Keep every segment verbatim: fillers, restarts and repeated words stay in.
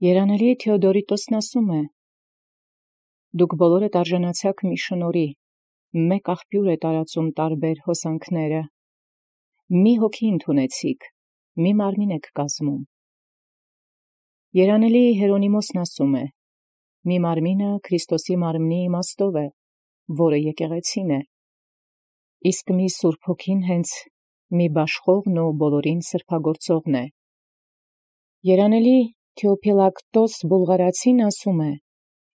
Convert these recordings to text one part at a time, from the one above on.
Երանելի Թէոդորիտոսն ասում է. «Դուք բոլորդ արժանացաք մի շնորհի, մեկ աղբյուր է տարածում տարբեր հոսանքները, մի հոգի ընդունեցիք, մի մարմին եք կազմում»։ Երանելի Հերոնիմոսն ասում է. «Մի մարմինը Քրիստոսի մարմնի իմաստով է, որը եկեղեցին է, իսկ մի Սուրբ Հոգին հենց մի բաշխողն ու բոլորին սրբագործողն է»։ Երանելի Թէոփիլակտոս Բուլղարացին ասում է.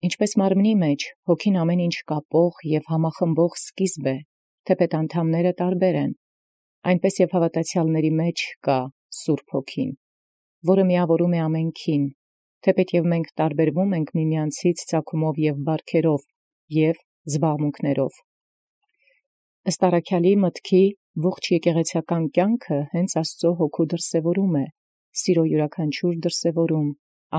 «Ինչպես մարմնի մեջ հոգին ամեն ինչ կապող և համախմբող սկիզբ է, թեպետ անդամները տարբեր են, այնպես և հաւատացեալների մեջ կա Սուրբ Հոգին, որը միավորում է ամենքին, թեպետ և մենք տարբերվում ենք միմյանցից ծագումով և բարքերով և զբաղմունքներով»։ Ըստ առաքյալի մտքի ողջ եկեղեցական կյանքը հենց Աստծո Հոգու դրսևորում է, սիրո յուրաքանչյուր դրսևորում,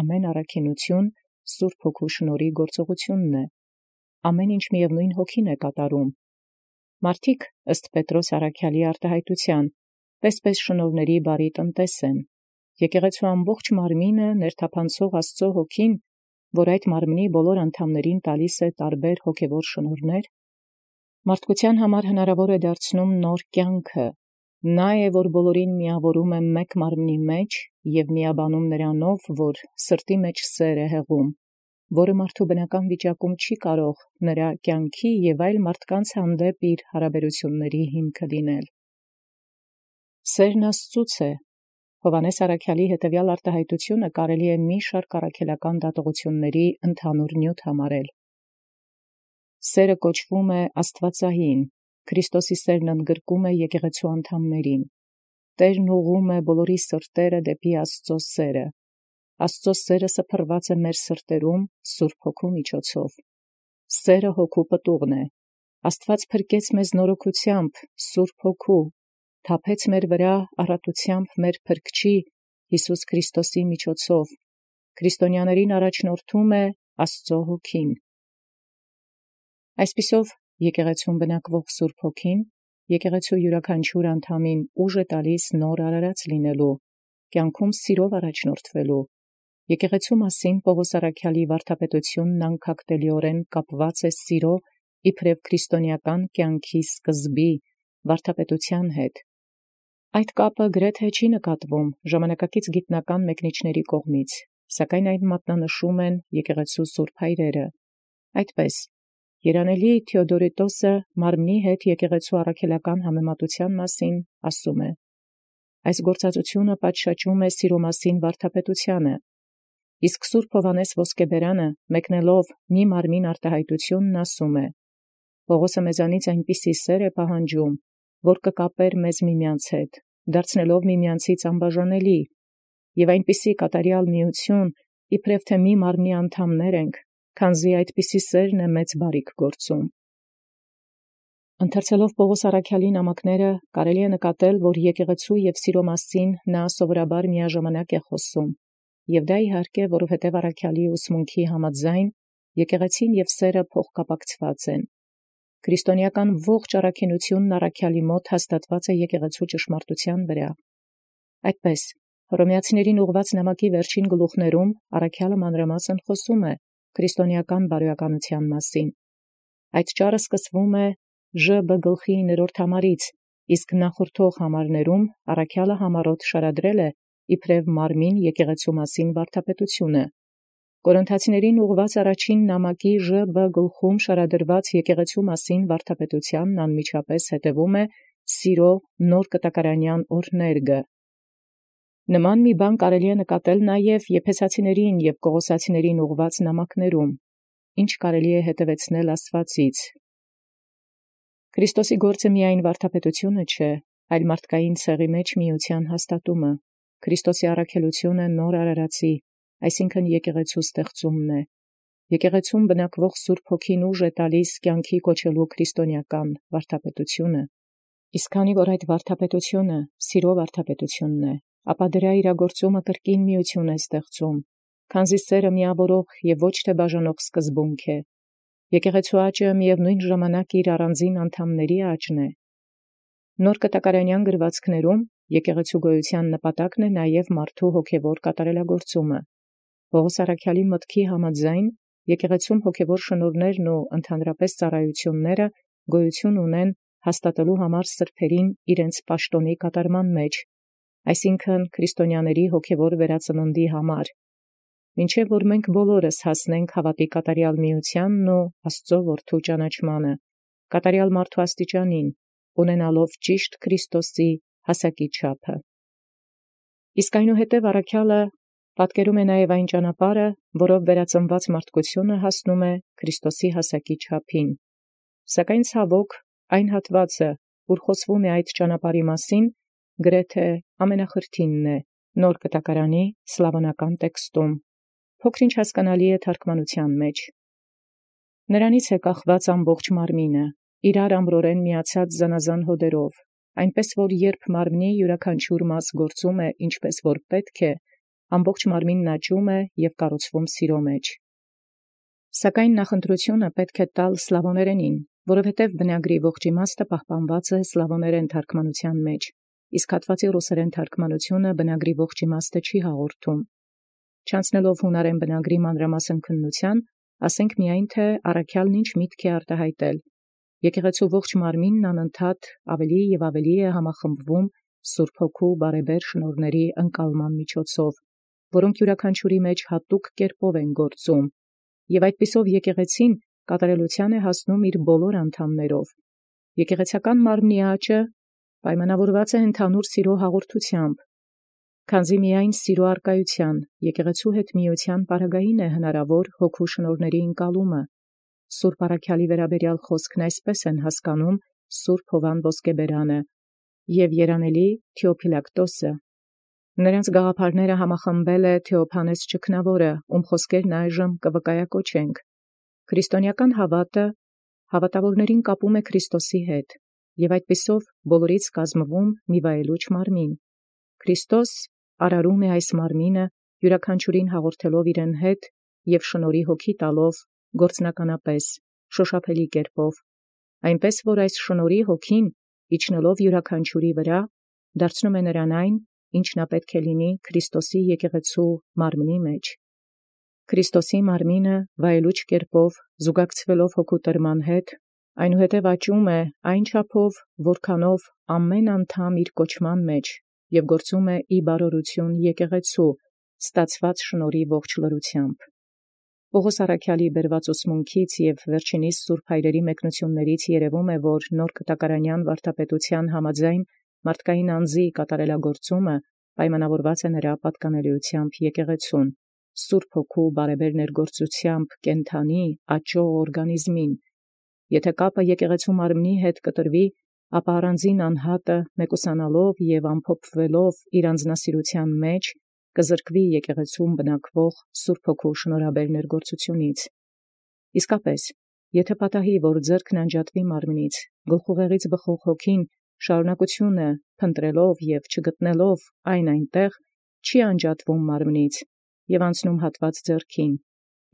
ամեն առաքինութիւն Սուրբ Հոգու շնորհի գործողութիւնն է, ամեն ինչ միևնույն Հոգին է կատարում։ Մարդիկ ըստ Պետրոս առաքյալի արտահայտութեան պես-պես շնորհների բարի տնտես են, եկեղեցու ամբողջ մարմինը ներթափանցող Աստծո Հոգին, որ այդ մարմնի բոլոր անդամներին տալիս է տարբեր հոգևոր շնորհներ, մարդկության համար հնարավոր է դարձնում նոր կյանքը, նա է, որ բոլորին միավորում է մեկ մարմնի մեջ և միաբանում նրանով, որ սրտի մեջ սեր է հեղում, որը մարդու բնական վիճակում չի կարող նրա կյանքի և այլ մարդկանց հանդեպ իր հարաբերությունների հիմքը լինել։ Սերն Աստծուց է։ Հովհաննես առաքյալի հետևյալ արտահայտությունը կարելի է մի շարք առաքելական դատողությունների ընդհանուր նյութ համարել։ Սերը կոչվում է աստվածային, Քրիստոսի սերն ընդգրկում է եկեղեցու անդամներին, Տերն ուղղում է բոլորի սրտերը դեպի Աստծո սերը, Աստծո սերը սփռված է մեր սրտերում Սուրբ Հոգու միջոցով, սերը Հոգու պտուղն է, Աստված փրկեց մեզ նորոգությամբ Սուրբ Հոգու, թափեց մեր վրա առատությամբ մեր Փրկչի Յիսուս Քրիստոսի միջոցով, քրիստոնյաներին առաջնորդում է Աստծո Հոգին։ Այսպիսով, եկեղեցուն բնակվող Սուրբ Հոգին եկեղեցու յուրաքանչյուր անդամին ուժ է տալիս նոր արարած լինելու, կյանքում սիրով առաջնորդվելու, եկեղեցու մասին Պողոս առաքյալի վարդապետությունն անկախտելիորեն կապված է սիրո իբրև քրիստոնեական կյանքի սկզբի վարդապետության հետ։ Այդ կապը գրեթե չի նկատվում ժամանակակից գիտնական մեկնիչների կողմից, սակայն այն մատնանշում են եկեղեցու սուրբ հայրերը։ Այդպես, երանելի Թէոդորիտոսը մարմնի հետ եկեղեցու առաքելական համեմատության մասին ասում է. «Այս գործածությունը պատշաճում է սիրո մասին վարդապետությանը, իսկ Սուրբ Հովհաննես Ոսկեբերանը մեկնելով մի մարմին արտահայտությունն ասում է. Պողոսը մեզանից այնպիսի սեր է պահանջում, որ կկապեր մեզ միմյանց հետ, դարձնելով միմյանցից անբաժանելի, և այնպիսի կատարյալ միություն, իբրև թե մի մարմնի անդամներ ենք, քանզի այդպիսի սերն է մեծ բարիք գործում»։ Ընթերցելով Պողոս առաքյալի նամակները կարելի է նկատել, որ եկեղեցու և սիրո մասին նա սովորաբար միաժամանակ է խոսում, և դա իհարկե, որովհետև առաքյալի ուսմունքի համաձայն եկեղեցին և սերը փոխկապակցված են։ Քրիստոնեական ողջ առաքինութիւնն առաքյալի մոտ հաստատված է եկեղեցու ճշմարտութեան վրա։ Այդպես, Հռոմեացիներին ուղղված նամակի վերջին գլուխներում առաքյալը մանրամասն խոսում է քրիստոնեական բարոյականութեան մասին։ Այդ ճառը սկսվում է Ժ Բ գլխի իններորդ համարից, իսկ նախորդող համարներում առաքյալը համառոտ շարադրել է իբրև մարմին եկեղեցու մասին վարդապետությունը։ Կորինթացիներին ուղղված առաջին նամակի Ժ Բ գլխում շարադրված եկեղեցու մասին վարդապետությանն անմիջապես հետևում է սիրո նոր կտակարանյան օրհներգը։ Նման մի բան կարելի է նկատել նաև եփեսացիներին և կողոսացիներին ուղղված նամակներում, ինչ կարելի է հետևեցնել ասվածից։ Քրիստոսի գործը միայն վարդապետությունը չէ, այլ մարդկային ցեղի մեջ միության հաստատումը, Քրիստոսի առաքելությունը նոր արարածի, այսինքն եկեղեցու ստեղծումն է։ Եկեղեցուն բնակվող Սուրբ Հոգին ուժ է տալիս կյանքի կոչելու քրիստոնեական վարդապետությունը։ Իսկ քանի որ այդ վարդապետությունը սիրո վարդապետությունն է, ապա դրա իրագործումը կրկին միություն է ստեղծում, քանզի սերը միավորող և ոչ թե բաժանող սկզբունք է։ Եկեղեցու աճը միևնույն ժամանակ իր առանձին անդամների աճն է։ Նոր կտակարանյան գրվածքներում եկեղեցու գոյության նպատակն է նաև մարդու հոգևոր կատարելագործումը։ Պողոս առաքյալի մտքի համաձայն եկեղեցում հոգևոր շնորհներն ու ընդհանրապես ծառայությունները գոյություն ունեն հաստատելու համար սրբերին իրենց պաշտոնի կատարման մեջ, այսինքն քրիստոնյաների հոգևոր վերածննդի համար, մինչև որ մենք բոլորս հասնենք հավատի կատարյալ միությանն ու Աստծո որդու ճանաչմանը, կատարյալ մարդու աստիճանին, ունենալով ճիշտ Քրիստոսի հասակի չափը։ Իսկ այնուհետև առաքյալը պատկերում է նաև այն ճանապարհը, որով վերածնված մարդկությունը հասնում է Քրիստոսի հասակի չափին։ Սակայն ցավոք այն հատվածը, որ խոսվում է այդ ճանապարհի մասին, գրեթե ամենախրթինն է Նոր Կտակարանի սլավոնական տեքստում, փոքր-ինչ հասկանալի է թարգմանության մեջ։ Նրանից է կախված ամբողջ մարմինը, իրար ամրորեն միացած զանազան հոդերով, այնպես որ երբ մարմնի յուրաքանչյուր մաս գործում է ինչպես որ պետք է, ամբողջ մարմինն աճում է և կառուցվում սիրո մեջ։ Սակայն նախընտրությունը պետք է տալ սլավոներենին, որովհետև բնագրի ողջ իմաստը պահպանված է սլավոներեն թարգմանության մեջ, իսկ հատվածի ռուսերեն թարգմանությունը բնագրի ողջ իմաստը չի հաղորդում։ Չանցնելով հունարեն բնագրի մանրամասն քննության, ասենք միայն թե առաքյալն ինչ միտք է արտահայտել։ Եկեղեցու ողջ մարմինն անընդհատ ավելի և ավելի է համախմբվում Սուրբ Հոգու բարեբեր շնորհների ընկալման միջոցով, որոնք յուրաքանչյուրի մեջ հատուկ կերպով են գործում, և այդպիսով եկեղեցին կատարելության է հասնում իր բոլոր անդամներով։ Եկեղեցական մարմնի աճը պայմանավորված է ընդհանուր սիրո հաղորդությամբ, քանզի միայն սիրո արկայության, եկեղեցու հետ միության պարագային է հնարավոր հոգու շնորհների ընկալումը։ Սուրբ առաքյալի վերաբերյալ խոսքն այսպես են հասկանում Սուրբ Հովան Ոսկեբերանը և երանելի Թեոփիլակտոսը։ Նրանց գաղափարները համախմբել է Թեոփանես Ճգնավորը, ում խոսքերն այժմ կվկայակոչենք։ Քրիստոնեական հավատը հավատավորներին կապում է Քրիստոսի հետ, և այդպիսով բոլորից կազմվում մի վայելուչ մարմին։ Քրիստոս արարում է այս մարմինը, յուրաքանչյուրին հաղորդելով իրեն հետ և շնորհի հոգի տալով գործնականապես, շոշափելի կերպով, այնպես որ այս շնորհի հոգին, իջնելով յուրաքանչյուրի վրա, դարձնում է նրան այն, ինչ նա պետք է լինի Քրիստոսի եկեղեցու մարմնի մեջ։ Քրիստոսի մարմինը վայելուչ կերպով զուգակցվելով հոգու տրման հետ, այնուհետև աճում է այն չափով, որքանով ամեն անդամ իր կոչման մեջ և գործում է ի բարօրություն եկեղեցու, ստացված շնորհի ողջ լրությամբ։ Պողոս առաքյալի բերված ուսմունքից և վերջինիս սուրբ հայրերի մեկնություններից երևում է, որ նոր կտակարանյան վարդապետության համաձայն մարդկային անձի կատարելագործումը պայմանավորված է նրա պատկանելիությամբ եկեղեցուն, Սուրբ Հոգու բարեբեր ներգործությամբ կենդանի աճող օրգանիզմին։ Եթե կապը եկեղեցու մարմնի հետ կտրվի, ապա առանձին անհատը մեկուսանալով և ամփոփվելով իր անձնասիրության մեջ կզրկվի եկեղեցում բնակվող Սուրբ Հոգու շնորհաբեր ներգործությունից։ Իսկապես, եթե պատահի, որ ձեռքն անջատվի մարմնից, գլխուղեղից բխող հոգին շարունակությունը փնտրելով և չգտնելով այն այնտեղ, չի անջատվում մարմնից և անցնում հատված ձեռքին,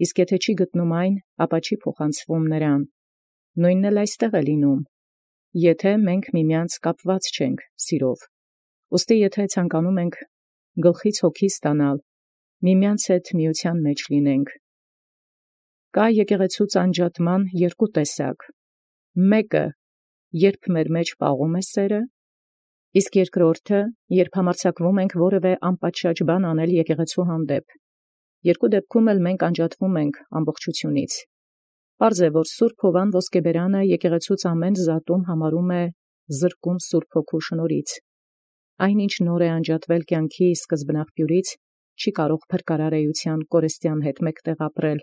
իսկ եթե չի գտնում այն, ապա չի փոխանցվում նրան։ Նույնն էլ այստեղ է լինում, եթե մենք միմյանց կապված չենք սիրով։ Ուստի եթե ցանկանում ենք գլխից հոգի ստանալ, միմյանց հետ միության մեջ լինենք։ Կա եկեղեցուց անջատման երկու տեսակ. մեկը, երբ մեր մեջ պաղում է սերը, իսկ երկրորդը, երբ համարձակվում ենք որևէ անպատշաճ բան անել եկեղեցու հանդեպ։ Երկու դեպքում էլ մենք անջատվում ենք ամբողջությունից։ Պարզ է, որ Սուրբ Հովան Ոսկեբերանը եկեղեցուց ամեն զատում համարում է զրկում Սուրբ Հոգու շնորհից։ Այն, ինչ նոր է անջատվել կյանքի սկզբնաղբյուրից, չի կարող փրկարար էության կորստյան հետ մեկտեղ ապրել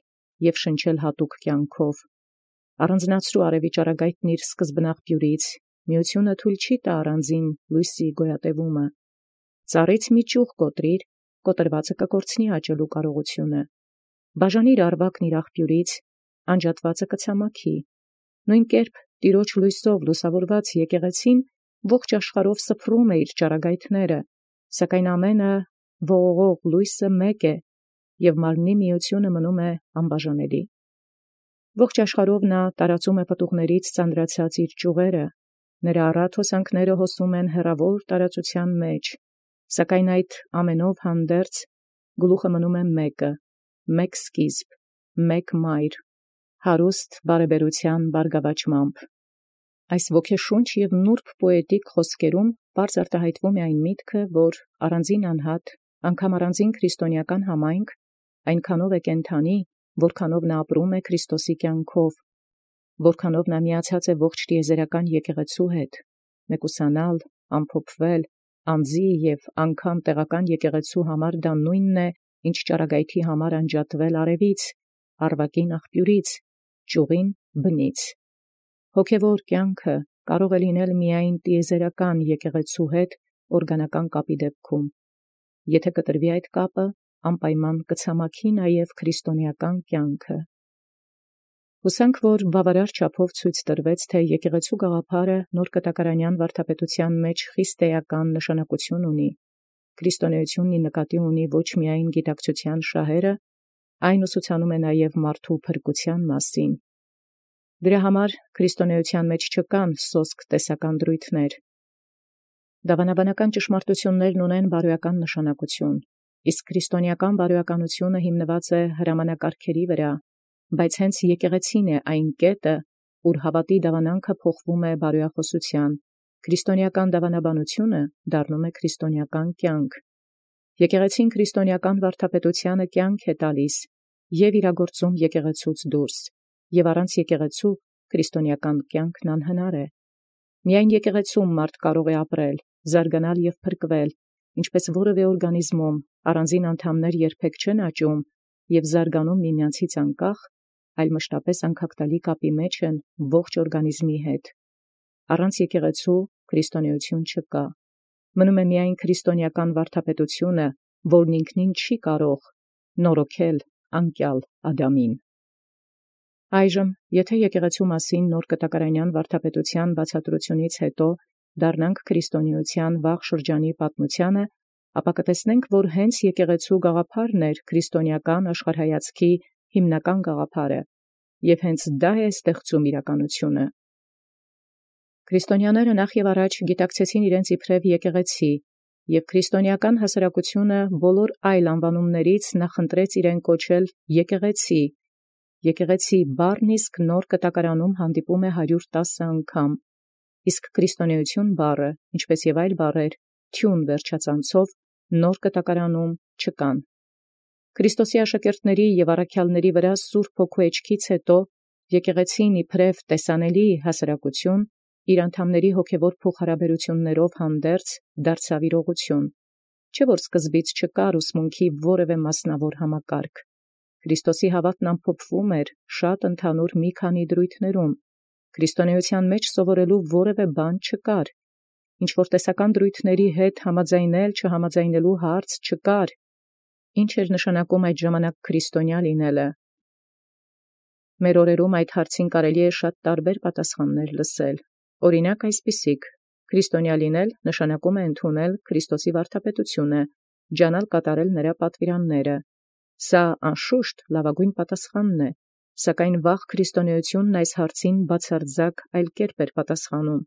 և շնչել հատուկ կյանքով։ Առանձնացրու արևի ճառագայթն իր սկզբնաղբյուրից, միությունը թույլ չի տա առանձին լույսի գոյատևումը։ Ծառից մի ճյուղ կոտրիր, կոտրվածը կկորցնի աճելու կարողությունը։ Բաժանիր առվակն իր աղբյուրից, անջատվածը կցամաքի։ Նույն կերպ Տիրոջ լույսով լուսավորված եկեղեցին ողջ աշխարհով սփռում է իր ճառագայթները, սակայն ամենը ողողող լույսը մեկ է, և մարմնի միությունը մնում է անբաժանելի։ Ողջ աշխարհով նա տարածում է պտուղներից ծանրացած իր ճյուղերը, նրա առատ հոսանքները հոսում են հեռավոր տարածության մեջ, սակայն այդ ամենով հանդերձ գլուխը մնում է մեկը, մեկ սկիզբ, մեկ մայր, հարուստ բարեբերութեան բարգավաճմամբ։ Այս ոգեշունչ և նուրբ պոետիկ խոսքերում պարզ արտահայտվում է այն միտքը, որ առանձին անհատ, անգամ առանձին քրիստոնեական համայնք, այնքանով է կենթանի, որքանով նա ապրում է Քրիստոսի կյանքով, որքանով նա միացած է ողջ տիեզերական եկեղեցու հետ, մեկուսանալ, ամփոփվել, անձի և անգամ տեղական եկեղեցու համար դա նույնն է, ինչ ճառագայթի համար անջատվել արևից, առվակին աղբյուրից, ճյուղին բնից։ Հոգևոր կյանքը կարող է լինել միայն տիեզերական եկեղեցու հետ օրգանական կապի դեպքում։ Եթե կտրվի այդ կապը, անպայման կցամաքի նաև քրիստոնեական կյանքը։ Հուսանք, որ բավարար չափով ցույց տրվեց, թե եկեղեցու գաղափարը նոր կտակարանյան վարդապետության մեջ խիստ էական նշանակություն ունի։ Քրիստոնեությունն նկատի ունի ոչ միայն գիտակցության շահերը, այն ուսուցանում է նաև մարդու փրկության մասին։ Դրա համար քրիստոնեության մեջ չկան սոսկ տեսական դրույթներ։ Դավանաբանական ճշմարտություններն ունեն բարոյական նշանակություն, իսկ քրիստոնեական բարոյականությունը հիմնված է հրամանակարգերի վրա, բայց հենց եկեղեցին է այն կետը, ուր հավատի դավանանքը փոխվում է բարոյախոսության, քրիստոնեական դավանաբանությունը դառնում է քրիստոնեական կյանք։ Եկեղեցին քրիստոնեական վարդապետությանը կյանք է տալիս և իրագործում եկեղեցուց դուրս, և առանց եկեղեցու քրիստոնեական կյանքն անհնար է։ Միայն եկեղեցում մարդ կարող է ապրել, զարգանալ և փրկվել, ինչպես որևէ օրգանիզմում առանձին անդամներ երբեք չեն աճում և զարգանում միմյանցից անկախ, այլ մշտապես անկախտալի կապի մեջ են ողջ օրգանիզմի հետ։ Առանց եկեղեցու քրիստոնեություն չկա։ Մնում է միայն քրիստոնեական վարդապետությունը, որն ինքնին չի կարող նորոգել անկյալ Ադամին։ Այժմ, եթե եկեղեցու մասին նոր կտակարանյան վարդապետության բացատրությունից հետո դառնանք քրիստոնեության վաղ շրջանի պատմությանը, ապա կտեսնենք, որ հենց եկեղեցու գաղափարն էր քրիստոնեական աշխարհայացքի հիմնական գաղափարը, և հենց դա է ստեղծում իրականությունը։ Քրիստոնյաները նախ և առաջ գիտակցեցին իրենց իբրև եկեղեցի, և քրիստոնեական հասարակությունը բոլոր այլ անվանումներից նախընտրեց իրեն կոչել եկեղեցի։ Եկեղեցի բառն իսկ նոր կտակարանում հանդիպում է հարյուր տասը անգամ, իսկ քրիստոնեություն բառը, ինչպես և այլ բառեր, թյուն վերջածանցով նոր կտակարանում չկան։ Քրիստոսի աշակերտների և առաքյալների վրա Սուրբ Հոգու էջքից հետո եկեղեցին իբրև տեսանելի հասարակություն իր անդամների հոգևոր փոխհարաբերություններով հանդերձ դարձավ իրողություն, չէ՞ որ սկզբից չկար ուսմունքի որևէ մասնավոր համակարգ։ Քրիստոսի հավատն ամփոփվում էր շատ ընդհանուր մի քանի դրույթներում, քրիստոնեության մեջ սովորելու որևէ բան չկար, ինչ-որ տեսական դրույթների հետ համաձայնել չհամաձայնելու հարց չկար։ Ինչ էր նշանակում այդ ժամանակ քրիստոնյա լինելը։ Մեր օրերում այդ հարցին կարելի է շատ տարբեր պատասխաններ լսել։ Օրինակ այսպիսիք. քրիստոնյա լինել նշանակում է ընդունել Քրիստոսի վարդապետությունը, ջանալ կատարել նրա պատվիրանները։ Սա անշուշտ լավագույն պատասխանն է, սակայն վաղ քրիստոնեությունն այս հարցին բացարձակ այլ կերպ էր պատասխանում։